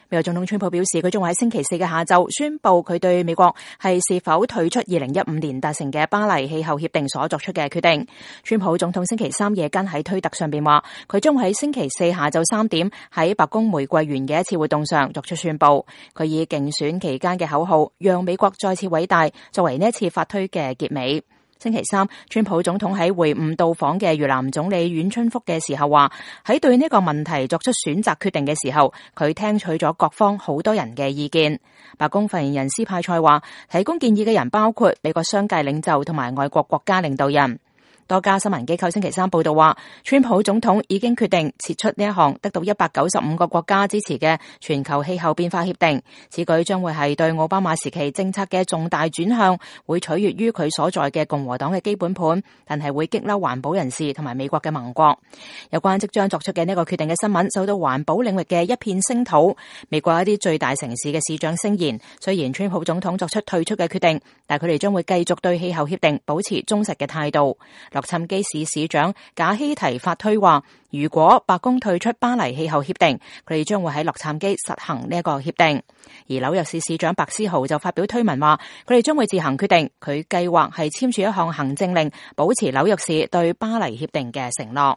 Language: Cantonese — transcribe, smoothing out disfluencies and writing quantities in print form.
美國總統川普表示，佢將會喺星期四嘅下晝宣布佢對美國是否退出2015年達成嘅巴黎氣候協定所作出嘅決定。川普總統星期三夜間喺推特上邊話，佢將會喺星期四下晝3點喺白宮玫瑰園嘅一次活動上作出宣布。佢以競選期間嘅口號「讓美國再次偉大」作為呢一次法推嘅結尾。星期三，川普總統喺會晤到訪嘅越南總理阮春福嘅時候話，喺對呢個問題作出選擇決定嘅時候，佢聽取咗各方好多人嘅意見。白宮發言人斯派塞話，提供建議嘅人包括美國商界領袖同埋外國國家領導人。多家新聞機構星期三報道話，川普總統已經決定撤出呢一項得到195個國家支持嘅全球氣候變化協定。此舉將會係對奧巴馬時期政策嘅重大轉向，會取悅於佢所在嘅共和黨嘅基本盤，但係會激嬲環保人士同埋美國嘅盟國。有關即將作出嘅呢個決定嘅新聞受到環保領域嘅一片聲討。美國一啲最大城市嘅市長聲言，雖然川普總統作出退出嘅決定，但佢哋將會繼續對氣候協定保持忠實嘅態度。洛杉磯市市長賈希提法推話，如果白宮退出巴黎氣候協定，佢哋將會喺洛杉磯實行呢一個協定。而紐約市市長白思豪就發表推文話，佢哋將會自行決定，佢計劃係簽署一項行政令，保持紐約市對巴黎協定嘅承諾。